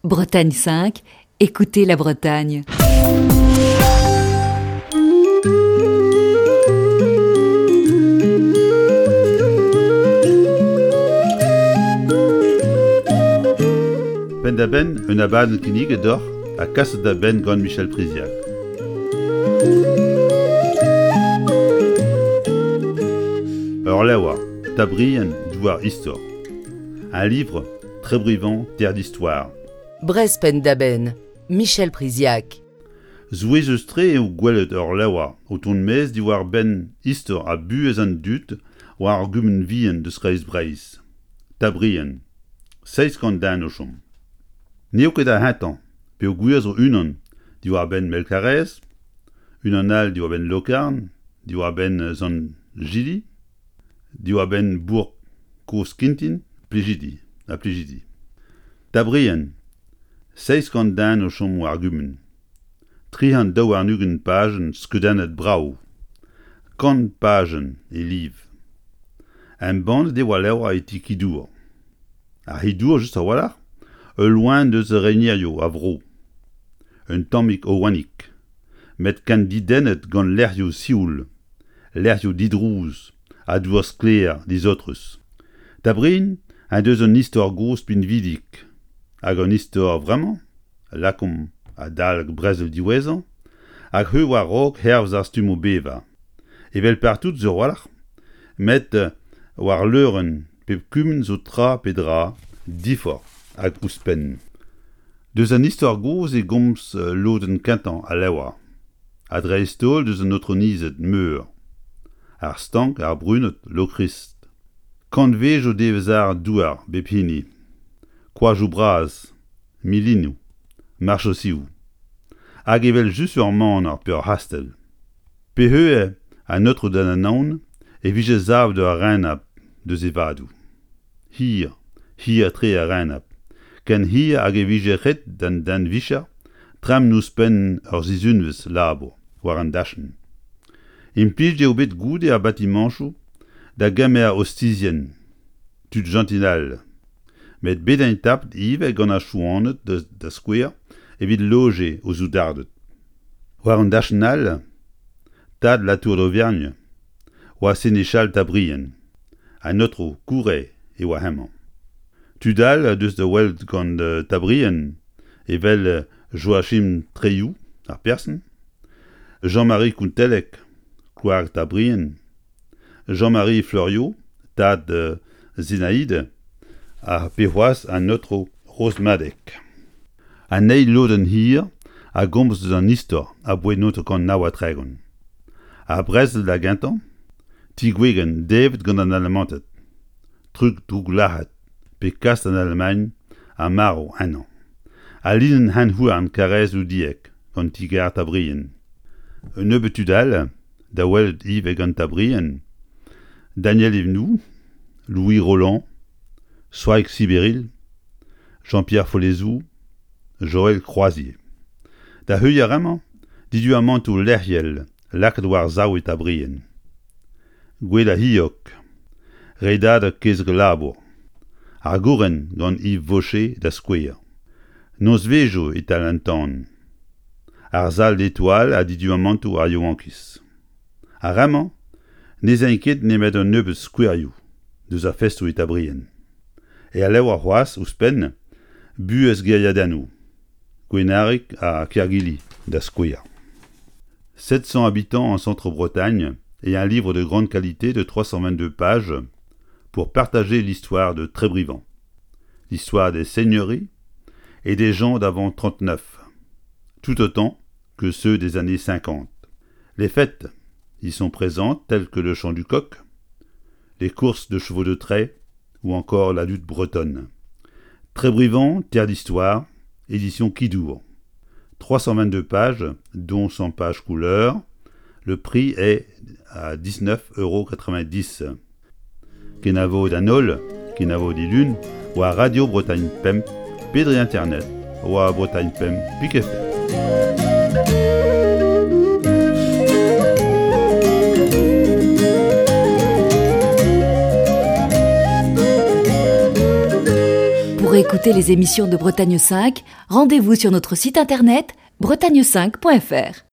Bretagne 5, écoutez la Bretagne. Penn-da-benn un abadenn kinniget deoc'h ha kaset da benn gant Michel Priziac. Ur levr, Tabrien, douar istor. Un livre, Trébrivant, terre d'histoire. Brest penn-da-benn, Michel Priziac. Souezhus-tre eo gwelet ur levr o tont maez diwar-benn istor ha buhez an dud war ar gumun vihan deus Kreiz Breizh, Tabrien, 700 den o chom. N'eo ket ar c'hentañ peogwir zo unan diwar-benn Melkarez, unan all diwar-benn Lokarn, diwar-benn Sant-Jili, Diwar-benn bourk Kozh-Kintin, Plijidi ha Plijidi. Tabrien, 700 den o chom war gumun. 322 pajenn skeudennet brav. 100 pajenn e liv. Embannet e oa levr e ti Kidour. Ar c'hi-dour just a-walc'h, ul loen deus renerioù a vro. Un tammig oanig. Met ken didennet gant lec'hioù sioul, lec'hioù didrouz ha dour sklaer disaotrus. Tabrin en deus un istor gozh pinvidik hag un istor vremañ, lakaomp adalek brezel diwezhañ, hag heu war-raok hervez ar stummoù bevañ. Evel partout sur a-walc'h, met war leurenn pep kumun zo tra pe dra diforc'h hag ouzhpenn. Deus an istor gozh e gomz lodenn kentañ al levr. Ha dreist-holl deus an aotronized meur, ar Stank, ar Brunod, Lokrist. Kantvejoù devez àr douar bep hini, koajoù bras, milinoù, marchosioù. Hag evel-just ur maner pe ur c'hastell. Pe eo an aotrou d'an Anaon e vije savet ur renabl deus e vadoù. Hir, hir-tre ar renabl, ken hir hag e vije ret d'an den-vicher tremen ouzhpenn ur sizhunvezh labour war an dachenn. Implijet eo bet goude ar batimañchoù da gemer ostizien, tud jentil all. Met bet int tapet ivez gant ar Chouaned da skouer evit lojiñ o soudarded. War un dachenn all, tad La Tour d'Auvergne oa senechal Tabrien. An aotrou Kure e oa hemañ. Tud all deus da welet gant Tabrien evel Joachim Tréioù, ar person, Jean-Marie Kountelleg, kloareg Tabrien, Jean-Marie Fleuriot, tad Zinaïde, ha pe c'hoazh an aotrou Rosmadeg. An eil lodenn hir a gomz eus an istor aboae 1939. Ar brezel da gentañ, ti Gwegen devet gant an Alamanted, trug drouglac'het pe kas d'an Alamagn ha marv ennañ. Al linenn hent-houarn Karaez-Loudieg gant ti-gar Tabrien. Un nebeud tud all da welet ivez gant Tabrien, Daniel Evenou, Louis Rolland, Soaig Siberil, Jean-Pierre Follezou, Joël Croazier. Da heuilh ar re-mañ, diduamantoù lec'hiel lakaet war-sav e Tabrien. Gouel ar C'hilhog, redadeg kezeg-labour, ar gouren gant Yves Vaucher da skouer. Nozvezhioù e-tal an tan. Ar sal d'Étoile ha diduamantoù ar yaouankiz. Ar re-mañ ne 'z aint ket nemet un nebeud skouerioù deus ar festoù e Tabrien. Er levr c'hoazh ouzhpenn buhez gêriadennoù Gwenarig ha Kergili da skouer. 700 habitants en Centre-Bretagne et un livre de grande qualité de 322 pages pour partager l'histoire de Trébrivant, l'histoire des seigneuries et des gens d'avant 39, tout autant que ceux des années 50. Les fêtes y sont présentes telles que le chant du coq, les courses de chevaux de trait ou encore la lutte bretonne. Trébrivant, terre d'histoire, édition Kidour. 322 pages, dont 100 pages couleur. Le prix est à 19,90 euros. Kenavo d'an holl, kenavo dilun, war Radio Bretagne Pemp, pe dre internet, war Bretagne Pemp pik fr. Pour réécouter les émissions de Bretagne 5, rendez-vous sur notre site internet bretagne5.fr.